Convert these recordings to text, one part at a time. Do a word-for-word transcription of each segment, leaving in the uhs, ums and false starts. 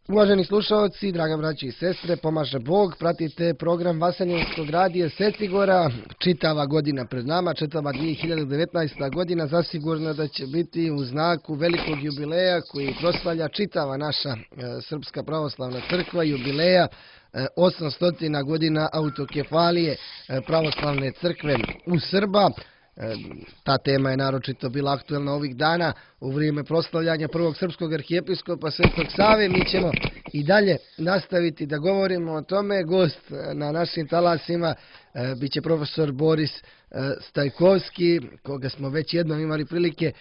Uvaženi slušalci, draga braći i sestre, pomaže Bog, pratite program Vaseljenskog radija Secigora, čitava godina pred nama, čitava dvije hiljade devetnaesta. godina, zasigurno da će biti u znaku velikog jubileja koji proslavlja čitava naša e, Srpska pravoslavna crkva, jubileja e, osamsto godina autokefalije e, pravoslavne crkve u Srba. Ta tema je naročito bila aktuelna ovih dana u vrijeme proslavljanja prvog srpskog arhijepiskopa Svetog Save. Mi ćemo i dalje nastaviti da govorimo o tome. Gost na našim talasima bit će profesor Boris Stajkovski, koga smo već jednom imali prilike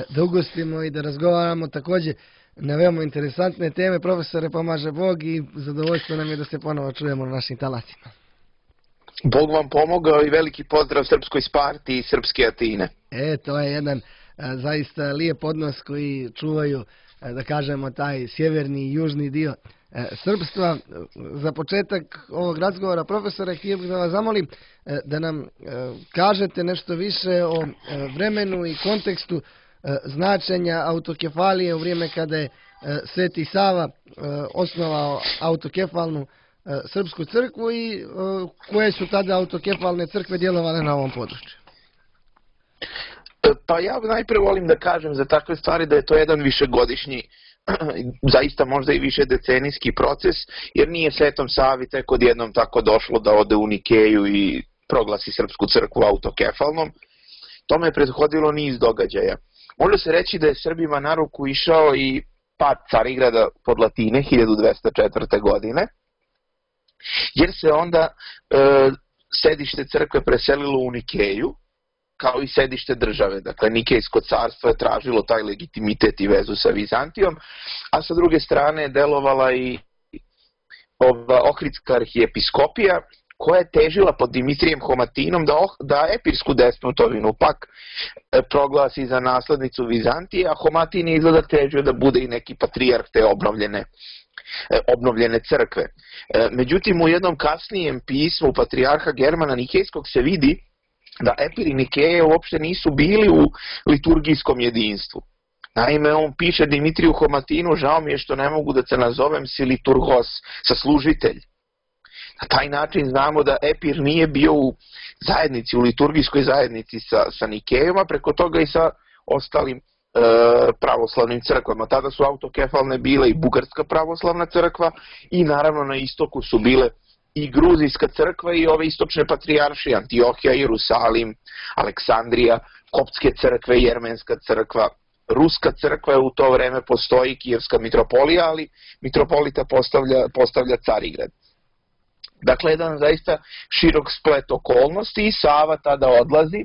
da ugostimo i da razgovaramo također na veoma interesantne teme. Profesore, pomaže Bog i zadovoljstvo nam je da se ponovo čujemo na našim talasima. Bog vam pomogao i veliki pozdrav Srpskoj Sparti i Srpske Atine. E, to je jedan a, zaista lijep odnos koji čuvaju, a, da kažemo, taj sjeverni i južni dio a, srpstva. Za početak ovog razgovora, profesore, htio bih da vas zamolim a, da nam a, kažete nešto više o a, vremenu i kontekstu a, značenja autokefalije u vrijeme kada je a, Sveti Sava a, osnovao autokefalnu Srpsku crkvu i uh, koje su tada autokefalne crkve djelovale na ovom području? Pa ja najprije volim da kažem za takve stvari da je to jedan višegodišnji, zaista možda i više decenijski proces, jer nije Svetom Savi tek odjednom tako došlo da ode u Nikeju i proglasi Srpsku crkvu autokefalnom. Tome je prethodilo niz događaja. Može se reći da je Srbima na ruku išao i pad Carigrada pod Latine hiljadu dvesta četvrte. godine, jer se onda e, sedište crkve preselilo u Nikeju, kao i sedište države. Dakle, Nikejsko carstvo je tražilo taj legitimitet i vezu sa Vizantijom, a sa druge strane je delovala i ova Ohridska arhijepiskopija, koja je težila pod Dimitrijem Homatinom da, oh, da epirsku despotovinu pak e, proglasi za naslednicu Vizantije, a Homatin je izgleda težio da bude i neki patrijarh te obnovljene obnovljene crkve. Međutim, u jednom kasnijem pismu patrijarha Germana Nikejskog se vidi da epiri Nikeje uopšte nisu bili u liturgijskom jedinstvu. Naime, on piše Dimitriju Homatinu, žao mi je što ne mogu da se nazovem si liturgos, saslužitelj. Na taj način znamo da epir nije bio u zajednici, u liturgijskoj zajednici sa, sa Nikejom, a preko toga i sa ostalim pravoslavnim crkvama. Tada su autokefalne bile i Bugarska pravoslavna crkva i naravno na istoku su bile i Gruzijska crkva i ove istočne patrijaršije, Antiohija, Jerusalim, Aleksandrija, Koptske crkve, Jermenska crkva. Ruska crkva je u to vreme postoji, Kijevska mitropolija, ali mitropolita postavlja, postavlja Carigrad. Dakle, jedan zaista širok splet okolnosti i Sava tada odlazi,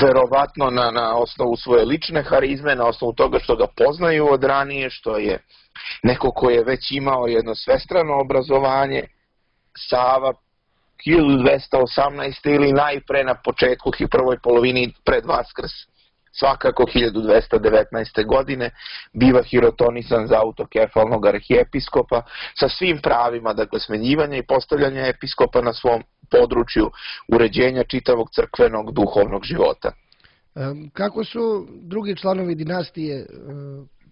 verovatno na, na osnovu svoje lične harizme, na osnovu toga što ga poznaju od ranije, što je neko ko je već imao jedno svestrano obrazovanje. Sava hiljadu dvesta osamnaeste. ili najpre na početku i prvoj polovini pred Vaskrs, svakako hiljadu dvesta devetnaeste. godine, biva hirotonisan za autokefalnog arhijepiskopa sa svim pravima, dakle smenjivanja i postavljanja episkopa na svom području uređenja čitavog crkvenog duhovnog života. Kako su drugi članovi dinastije,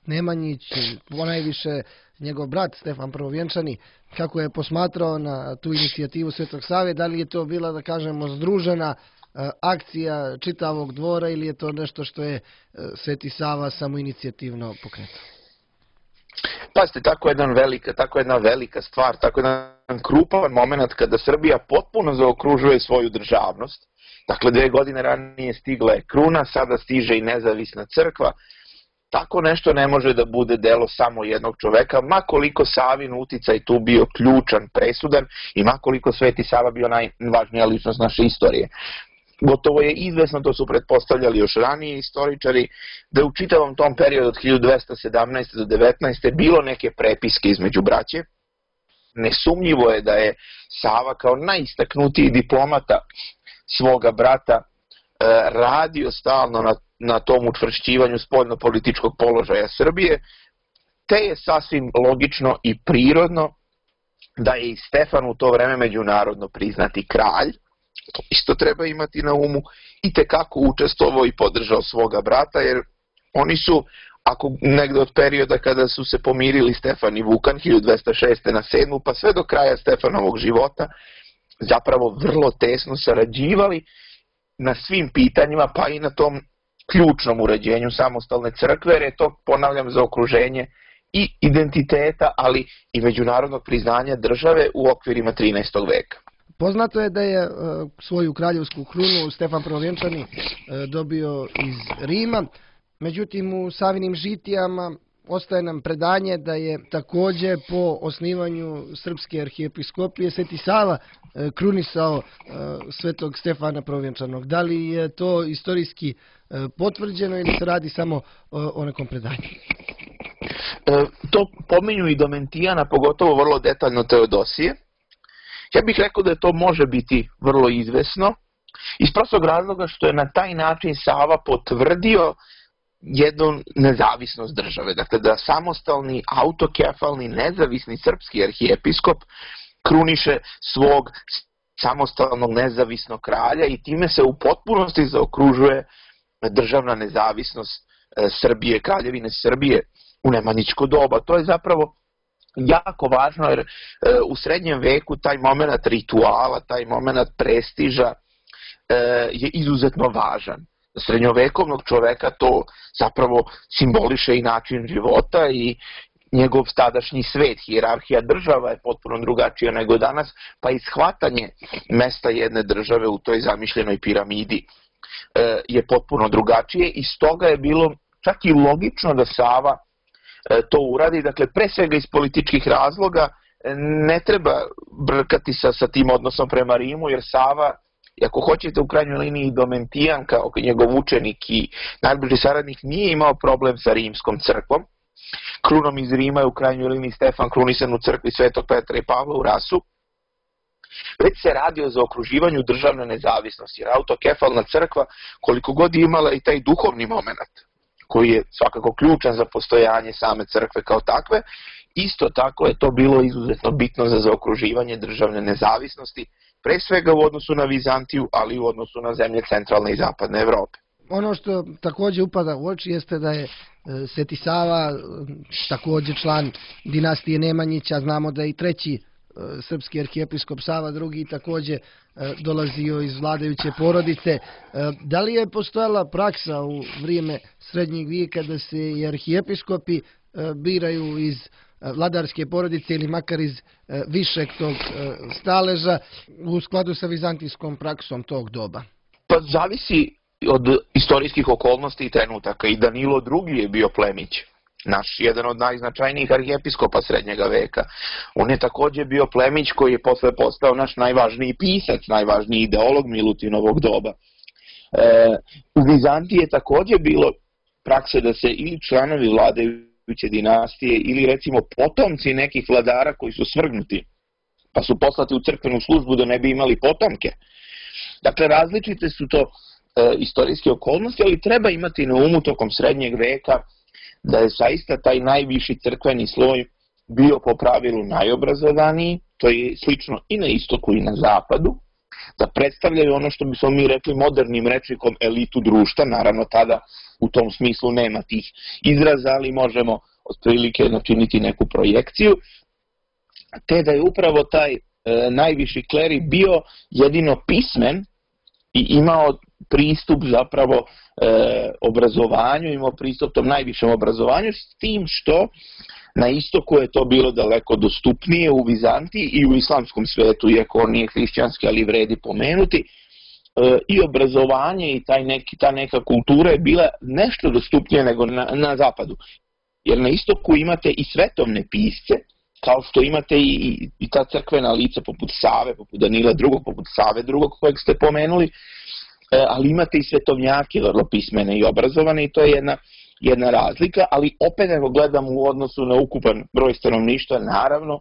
Nemanjić, ponajviše njegov brat Stefan Prvovjenčani, kako je posmatrao na tu inicijativu Svetog Save? Da li je to bila, da kažemo, združena akcija čitavog dvora ili je to nešto što je Sveti Sava samoinicijativno pokretao? Pazite, tako jedna velika, tako jedna velika stvar, tako jedan krupan moment kada Srbija potpuno zaokružuje svoju državnost. Dakle, dve godine ranije stigla je kruna, sada stiže i nezavisna crkva. Tako nešto ne može da bude delo samo jednog čoveka, makoliko Savin uticaj tu bio ključan, presudan i makoliko Sveti Sava bio najvažnija ličnost naše istorije. Gotovo je izvesno, to su pretpostavljali još ranije istoričari, da je u čitavom tom periodu od hiljadu dvesta sedamnaeste. do devetnaeste. bilo neke prepiske između braće. Nesumnjivo je da je Sava kao najistaknutiji diplomata svoga brata radio stalno na, na tom učvršćivanju spoljnopolitičkog položaja Srbije, te je sasvim logično i prirodno da je i Stefan u to vreme međunarodno priznati kralj, to isto treba imati na umu, i tekako učestvovao i podržao svoga brata, jer oni su ako negde od perioda kada su se pomirili Stefan i Vukan hiljadu dvesta šeste. na sedmu. pa sve do kraja Stefanovog života, zapravo vrlo tesno sarađivali na svim pitanjima, pa i na tom ključnom uređenju samostalne crkve, jer je to, ponavljam, za okruženje i identiteta, ali i međunarodnog priznanja države u okvirima trinaestog veka. Poznato je da je svoju kraljevsku krunu Stefan Prvovjenčani dobio iz Rima, međutim u Savinim žitijama ostaje nam predanje da je takođe po osnivanju Srpske arhijepiskopije Sveti Sava krunisao svetog Stefana Prvovjenčanog. Da li je to istorijski potvrđeno ili se radi samo o nekom predanju? To pominju i Domentijana, pogotovo vrlo detaljno Teodosije. Ja bih rekao da to može biti vrlo izvesno, iz prostog razloga što je na taj način Sava potvrdio jednu nezavisnost države. Dakle, da samostalni, autokefalni, nezavisni srpski arhijepiskop kruniše svog samostalnog nezavisnog kralja i time se u potpunosti zaokružuje državna nezavisnost Srbije, kraljevine Srbije u nemanjičko doba. To je zapravo jako važno jer u srednjem veku taj moment rituala, taj moment prestiža je izuzetno važan. Srednjovekovnog čoveka to zapravo simboliše i način života i njegov tadašnji svet, hijerarhija država je potpuno drugačija nego danas, pa i shvatanje mesta jedne države u toj zamišljenoj piramidi je potpuno drugačije i stoga je bilo čak i logično da Sava to uradi, dakle pre svega iz političkih razloga, ne treba brkati sa, sa tim odnosom prema Rimu, jer Sava, ako hoćete u krajnjoj liniji Domentijan kao njegov učenik i najbliži saradnik, nije imao problem sa rimskom crkvom. Krunom iz Rima je u krajnjoj liniji Stefan krunisan u crkvi Svetog Petra i Pavla u Rasu, već se radi o zaokruživanju državne nezavisnosti, jer autokefalna crkva, koliko god imala i taj duhovni moment, koji je svakako ključan za postojanje same crkve kao takve, isto tako je to bilo izuzetno bitno za zaokruživanje državne nezavisnosti, pre svega u odnosu na Vizantiju, ali i u odnosu na zemlje centralne i zapadne Evrope. Ono što takođe upada u oči jeste da je Sveti Sava takođe član dinastije Nemanjića, znamo da je i treći srpski arhijepiskop Sava drugi takođe dolazio iz vladajuće porodice. Da li je postojala praksa u vrijeme srednjeg vijeka da se i arhijepiskopi biraju iz vladarske porodice ili makar iz višeg tog staleža u skladu sa vizantijskom praksom tog doba? Pa zavisi od istorijskih okolnosti i trenutaka. I Danilo drugi je bio plemić, naš jedan od najznačajnijih arhijepiskopa srednjega veka. On je takođe bio plemić koji je posle postao naš najvažniji pisac, najvažniji ideolog Milutinovog doba. E, u Vizantiji je takođe bilo prakse da se ili članovi vladajuće dinastije ili recimo potomci nekih vladara koji su svrgnuti, pa su poslati u crkvenu službu da ne bi imali potomke. Dakle, različite su to e, istorijske okolnosti, ali treba imati na umu tokom srednjeg veka da je zaista taj najviši crkveni sloj bio po pravilu najobrazovaniji, to je slično i na istoku i na zapadu, da predstavljaju ono što bismo mi rekli modernim rečnikom elitu društva, naravno tada u tom smislu nema tih izraza, ali možemo otprilike načiniti neku projekciju, te da je upravo taj e, najviši kleri bio jedino pismen i imao pristup zapravo e, obrazovanju, imao pristup tom najvišem obrazovanju, s tim što na istoku je to bilo daleko dostupnije u Vizantiji i u islamskom svetu, iako on nije hrišćanski, ali vredi pomenuti, e, i obrazovanje i taj neki, ta neka kultura je bila nešto dostupnije nego na, na zapadu. Jer na istoku imate i svetovne pisce, kao što imate i, i, i ta crkvena lica poput Save, poput Danila drugog, poput Save drugog kojeg ste pomenuli, ali imate i svetovnjake vrlo pismene i obrazovane i to je jedna, jedna razlika, ali opet ako gledamo u odnosu na ukupan broj stanovništva, naravno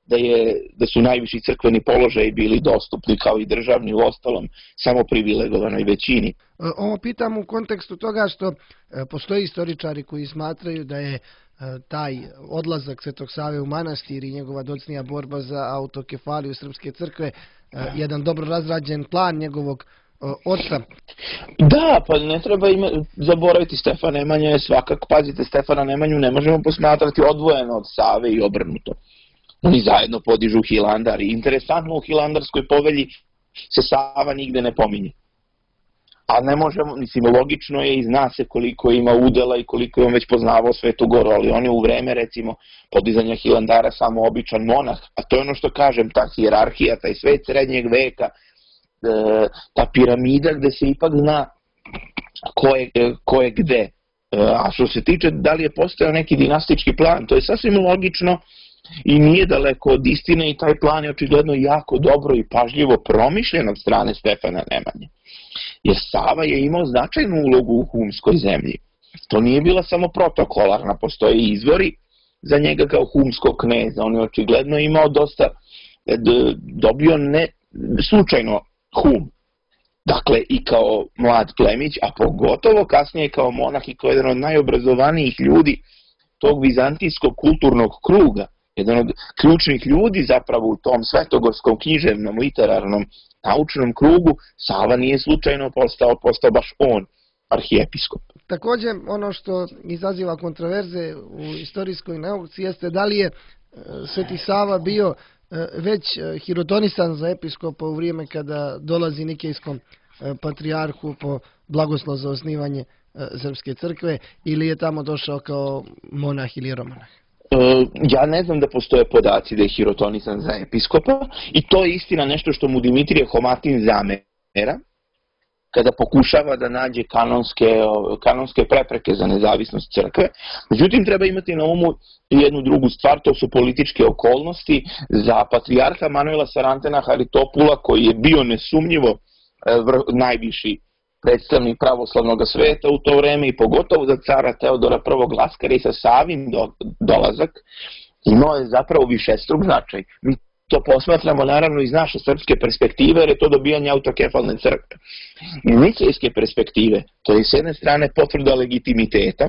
da, je, da su najviši crkveni položaji bili dostupni kao i državni u ostalom samo privilegovanoj većini. Ovo pitam u kontekstu toga što postoji istoričari koji smatraju da je taj odlazak Svetog Save u manastir i njegova docnija borba za autokefaliju Srpske crkve jedan dobro razrađen plan njegovog oca. Da, pa ne treba ima, zaboraviti, Stefan Nemanja je svakako, pazite, Stefana Nemanju ne možemo posmatrati odvojeno od Save i obrnuto. Oni zajedno podižu Hilandar i interesantno u Hilandarskoj povelji se Sava nigde ne pominje. A ne možemo, mislim, logično je i zna se koliko ima udela i koliko je on već poznavao Svetu Goru, ali on je u vreme, recimo, podizanja Hilandara samo običan monah, a to je ono što kažem, ta hijerarhija, taj svet srednjeg veka, ta piramida gde se ipak zna ko je, ko je gde. A što se tiče da li je postojao neki dinastički plan, to je sasvim logično i nije daleko od istine i taj plan je očigledno jako dobro i pažljivo promišljen od strane Stefana Nemanje. Jer Sava je imao značajnu ulogu u humskoj zemlji. To nije bila samo protokolarna, postoje izvori za njega kao humskog kneza. On je očigledno imao dosta, dobio ne slučajno hum. Dakle, i kao mlad plemić, a pogotovo kasnije kao monah i kao jedan od najobrazovanijih ljudi tog vizantijskog kulturnog kruga, jedan od ključnih ljudi zapravo u tom svetogorskom književnom, literarnom, naučnom krugu, Sava nije slučajno postao, postao baš on, arhijepiskop. Također, ono što izaziva kontroverze u istorijskoj nauci jeste da li je Sveti Sava bio već hirotonisan za episkopa u vrijeme kada dolazi nikejskom patrijarhu po blagoslov za osnivanje Srpske crkve ili je tamo došao kao monah ili jeromonah? Ja ne znam da postoje podaci da je hirotonisan za episkopa i to je istina nešto što mu Dimitrije Homatin zamera kada pokušava da nađe kanonske, kanonske prepreke za nezavisnost crkve. Međutim, treba imati na umu jednu drugu stvar, to su političke okolnosti. Za patrijarha Manuela Sarantena Haritopula, koji je bio nesumnjivo najviši predstavnik pravoslavnog sveta u to vreme i pogotovo za cara Teodora prvog Laskarisa, Savin do, dolazak, imao je zapravo višestruk značaj. Mi to posmatramo naravno iz naše srpske perspektive, jer je to dobijanje autokefalne crkve. Iz nikejske perspektive, to je s jedne strane potvrda legitimiteta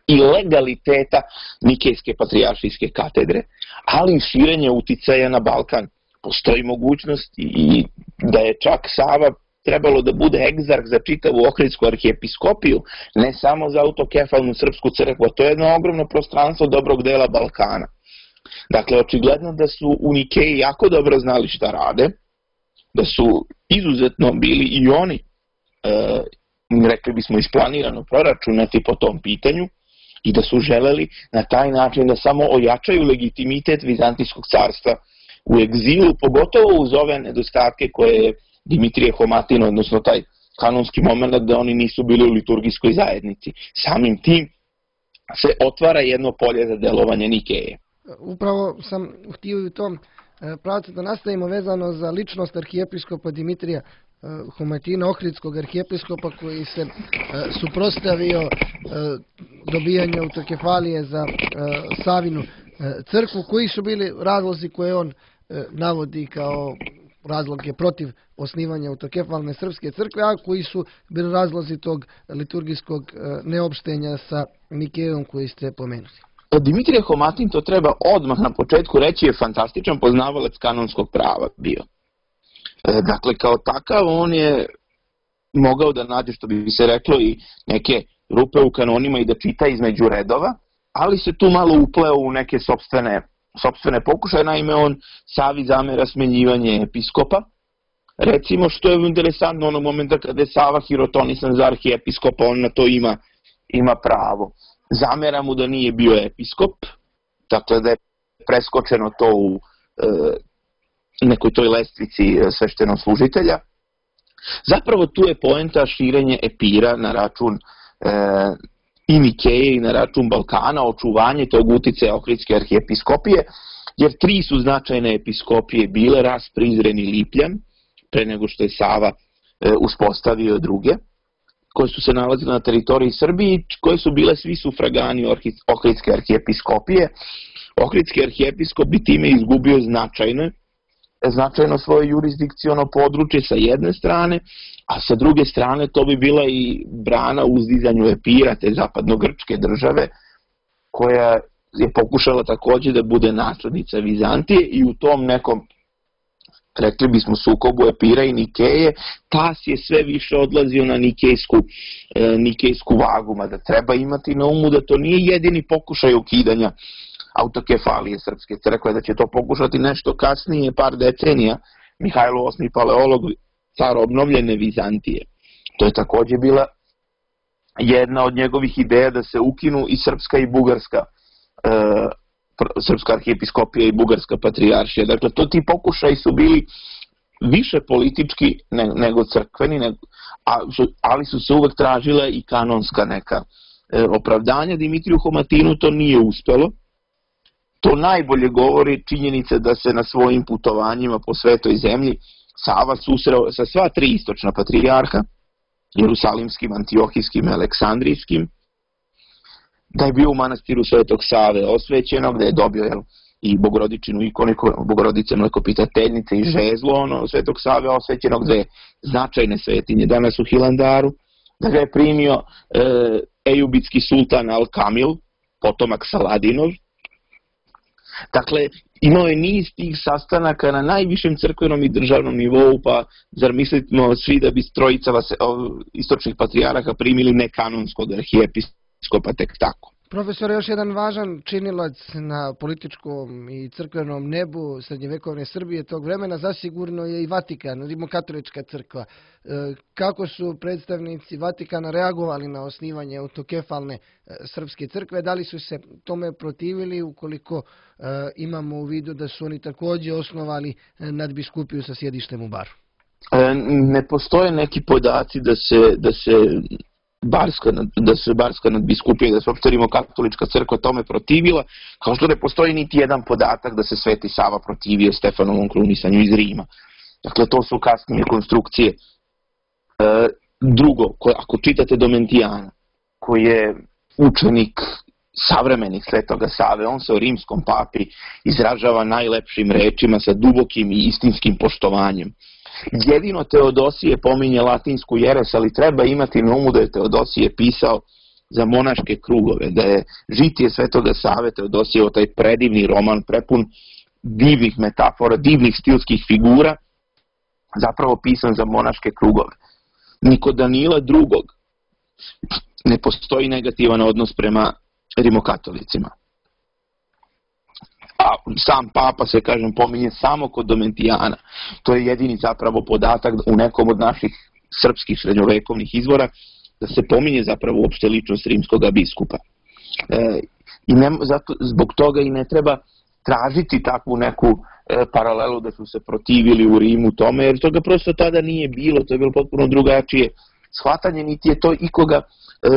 i legaliteta nikejske patrijaršijske katedre, ali i širenje uticaja na Balkan. Postoji mogućnost i da je čak Sava trebalo da bude egzarh za čitavu Ohridsku arhijepiskopiju, ne samo za autokefalnu srpsku crkvu, to je jedno ogromno prostranstvo dobrog dela Balkana. Dakle, očigledno da su u Nikeji jako dobro znali šta rade, da su izuzetno bili i oni, e, rekli bismo, isplanirano proračunati po tom pitanju i da su želeli na taj način da samo ojačaju legitimitet Vizantijskog carstva u egzilu, pogotovo uz ove nedostatke koje je Dimitrije Homatin, odnosno taj kanonski moment da oni nisu bili u liturgijskoj zajednici. Samim tim se otvara jedno polje za delovanje Nikeje. Upravo sam htio i u tom pravcu da nastavimo vezano za ličnost arhijepiskopa Dimitrija Homatina, ohridskog arhijepiskopa koji se suprotstavio dobijanju autokefalije za Savinu crkvu. Koji su bili razlozi koje on navodi kao razloge protiv osnivanja autokefalne srpske crkve, a koji su bili razlozi tog liturgijskog neopštenja sa Nikejom koji ste pomenuli? Dimitrije Homatin, to treba odmah na početku reći, je fantastičan poznavalac kanonskog prava bio. Dakle, kao takav on je mogao da nađe, što bi se reklo, i neke rupe u kanonima i da čita između redova, ali se tu malo upleo u neke sopstvene, sopstvene pokušaje. Naime, on Savi zamera smenjivanje episkopa. Recimo, što je interesantno onog momenta kada je Sava hirotonisan za arhijepiskopa, on na to ima, ima pravo. Zamera mu da nije bio episkop, dakle da je preskočeno to u e, nekoj toj lestvici sveštenog služitelja. Zapravo tu je poenta širenje epira na račun e, i Nikeje i na račun Balkana, očuvanje tog uticaja Ohridske arhijepiskopije, jer tri su značajne episkopije bile, Ras, Prizren i Lipljan, pre nego što je Sava e, uspostavio druge, koje su se nalazile na teritoriji Srbije, koje su bile svi sufragani Ohridske arhijepiskopije. Ohridski arhijepiskop bi time izgubio značajno, značajno svoje jurisdikciono područje sa jedne strane, a sa druge strane to bi bila i brana uzdizanju epira te zapadno-grčke države, koja je pokušala također da bude naslednica Vizantije i u tom nekom rekli bismo sukobu Epira i Nikeje, tas je sve više odlazio na nikejsku, e, nikejsku vagu, mada treba imati na umu da to nije jedini pokušaj ukidanja autokefalije Srpske crkve, da će to pokušati nešto kasnije, par decenija, Mihajlo osmi Paleolog, car obnovljene Vizantije. To je takođe bila jedna od njegovih ideja da se ukinu i srpska i bugarska, e, srpska arhijepiskopija i bugarska patrijaršija. Dakle, to ti pokušaji su bili više politički ne, nego crkveni, ne, a, ali su se uvek tražile i kanonska neka e, opravdanja. Dimitriju Homatinu to nije uspelo. To najbolje govori činjenica da se na svojim putovanjima po svetoj zemlji Sava susreo sa sva tri istočna patrijarha, jerusalimskim, antiohijskim i aleksandrijskim, da je bio u manastiru Svetog Save osvećenog, da je dobio jel, i bogorodičinu ikonu, bogorodice mlekopitateljnice i žezlo ono, Svetog Save osvećenog, dve značajne svetinje danas u Hilandaru, da ga je primio e, ejubitski sultan Al-Kamil, potomak Saladinov. Dakle, imao je niz tih sastanaka na najvišem crkvenom i državnom nivou, pa zar mislimo svi da bi trojica istočnih patrijaraha primili nekanonskog arhijepiskopa tek tako? Profesor, još jedan važan činilac na političkom i crkvenom nebu srednjevekovne Srbije tog vremena zasigurno je i Vatikan, rimokatolička crkva. Kako su predstavnici Vatikana reagovali na osnivanje autokefalne srpske crkve? Da li su se tome protivili ukoliko imamo u vidu da su oni takođe osnovali nadbiskupiju sa sjedištem u Baru? Ne postoje neki podaci da se, da se Barska, da se Barska nadbiskupija, da se uopšte rimokatolička crkva tome protivila, kao što ne postoji niti jedan podatak da se Sveti Sava protivio Stefanovom krunisanju iz Rima. Dakle, to su kasnije konstrukcije. E, drugo, ko, ako čitate Domentijana, koji je učenik savremenih Svetoga Save, on se o rimskom papi izražava najlepšim rečima sa dubokim i istinskim poštovanjem. Jedino Teodosije pominje latinsku jeres, ali treba imati na umu da je Teodosije pisao za monaške krugove, da je Žitije Svetoga Save Teodosijevo, taj predivni roman prepun divnih metafora, divnih stilskih figura, zapravo pisan za monaške krugove. Ni kod Danila drugog ne postoji negativan odnos prema rimokatolicima. A sam papa se, kažem, pominje samo kod Domentijana. To je jedini zapravo podatak u nekom od naših srpskih srednjovekovnih izvora da se pominje zapravo uopšte ličnost rimskog biskupa. E, i ne, zato, zbog toga i ne treba tražiti takvu neku e, paralelu da su se protivili u Rimu tome, jer toga prosto tada nije bilo, to je bilo potpuno drugačije shvatanje, niti je to ikoga e,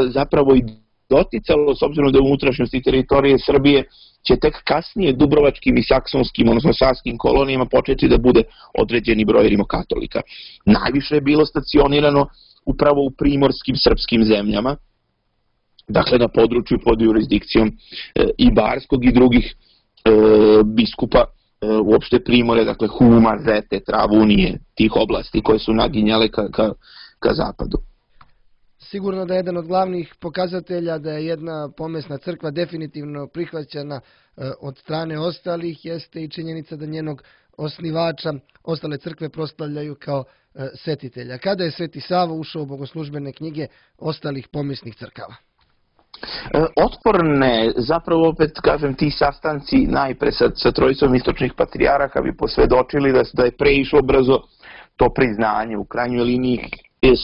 zapravo i doticalo, s obzirom da u unutrašnjosti teritorije Srbije će tek kasnije dubrovačkim i saksonskim, odnosno saskim kolonijama početi da bude određeni broj rimokatolika. Najviše je bilo stacionirano upravo u primorskim srpskim zemljama, dakle na području pod jurisdikcijom e, i Barskog i drugih e, biskupa e, uopšte Primore, dakle Huma, Zete, Travunije, tih oblasti koje su naginjale ka, ka, ka zapadu. Sigurno da je jedan od glavnih pokazatelja da je jedna pomesna crkva definitivno prihvaćena od strane ostalih jeste i činjenica da njenog osnivača ostale crkve proslavljaju kao svetitelja. Kada je Sveti Sava ušao u bogoslužbene knjige ostalih pomesnih crkava? Otporne, zapravo opet kažem, ti sastanci najpre sa, sa trojicom istočnih patrijaraha bi posvedočili da, da je preišlo brzo to priznanje. U krajnjoj liniji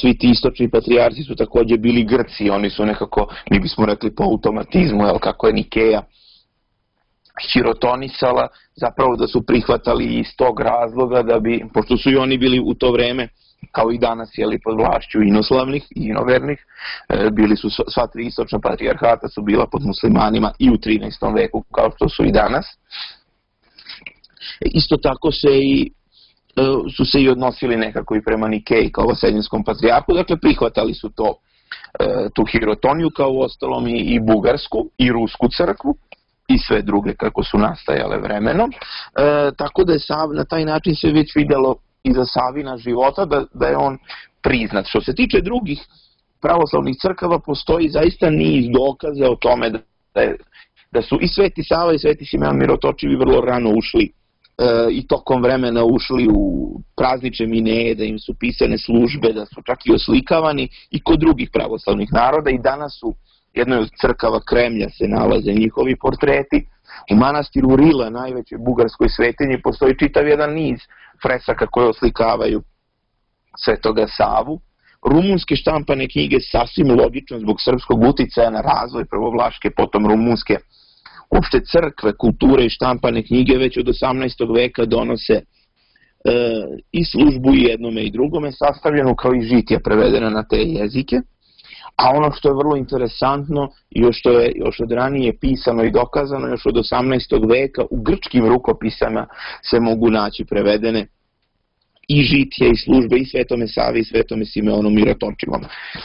svi ti istočni patrijarci su takođe bili Grci, oni su nekako, mi bismo rekli po automatizmu, jel, kako je Nikeja hirotonisala, zapravo da su prihvatali iz tog razloga da bi, pošto su i oni bili u to vreme, kao i danas, jeli, pod vlašću inoslavnih i inovernih, bili su sva tri istočna patrijarhata su bila pod muslimanima i u trinaestom veku, kao što su i danas. Isto tako se i su se i odnosili nekako i prema Nikeji kao vaseljenskom patrijarhu, dakle prihvatali su to, tu hirotoniju kao u ostalom i, i bugarsku i rusku crkvu i sve druge kako su nastajale vremenom, e, tako da je Sav, na taj način se već vidjelo iza Savina života da, da je on priznat. Što se tiče drugih pravoslavnih crkava, postoji zaista niz dokaza o tome da, da, je, da su i Sveti Sava i Sveti Simeon Mirotočivi vrlo rano ušli i tokom vremena ušli u praznične mineje, da im su pisane službe, da su čak i oslikavani i kod drugih pravoslavnih naroda i danas su jednoj od crkava Kremlja se nalaze njihovi portreti. U manastiru Rila, najvećoj bugarskoj svetinji, postoji čitav jedan niz fresaka koje oslikavaju Svetoga Savu. Rumunske štampane knjige, sasvim logično zbog srpskog uticaja na razvoj prvo vlaške, potom rumunske, uopšte crkve, kulture i štampane knjige već od osamnaestog veka donose e, i službu i jednome i drugome, sastavljenu kao i žitija prevedena na te jezike. A ono što je vrlo interesantno, još što je još od ranije pisano i dokazano, još od osamnaestog veka u grčkim rukopisama se mogu naći prevedene i žitije i službe i Svetome Savi i Svetome Simeonu Mirotočivom.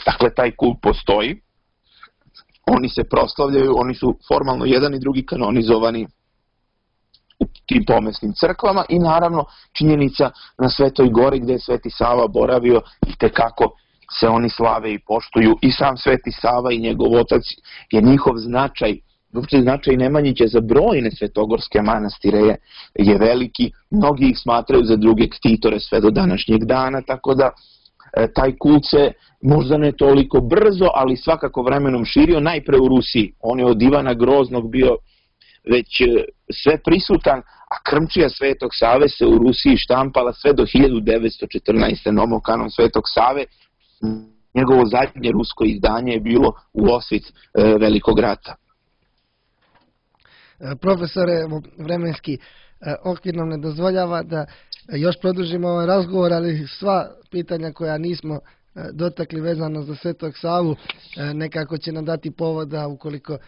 Dakle, taj kult postoji, oni se proslavljaju, oni su formalno jedan i drugi kanonizovani u tim pomesnim crkvama i naravno činjenica na Svetoj Gori gde je Sveti Sava boravio i tekako se oni slave i poštuju i sam Sveti Sava i njegov otac je njihov značaj, uopšte značaj Nemanjića za brojne svetogorske manastire je, je veliki, mnogi ih smatraju za druge ktitore sve do današnjeg dana, tako da e, taj kult se možda ne toliko brzo, ali svakako vremenom širio, najpre u Rusiji. On je od Ivana Groznog bio već e, sve prisutan, a krmčija Svetog Save se u Rusiji štampala sve do hiljadu devetsto četrnaeste. Nomokanon Svetog Save, njegovo zadnje rusko izdanje je bilo u osvit e, Velikog rata. Profesore, vremenski okvir nam ne dozvoljava da još produžimo ovaj razgovor, ali sva pitanja koja nismo dotakli vezano za Svetog Savu nekako će nam dati povoda ukoliko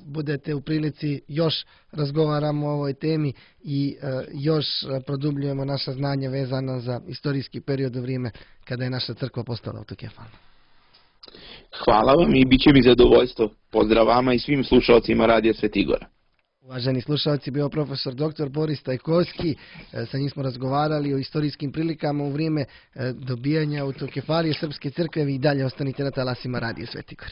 budete u prilici još razgovaramo o ovoj temi i još produbljujemo naša znanja vezana za istorijski period u vrijeme kada je naša crkva postala autokefalna. Hvala vam i bit će mi zadovoljstvo. Pozdrav vama i svim slušalcima Radija Svetigora. Uvaženi slušalci, bio profesor doktor Boris Stajkovski, sa njim smo razgovarali o istorijskim prilikama u vrijeme dobijanja autokefalije Srpske crkve. Vi i dalje ostanite na talasima Radija Svetigora.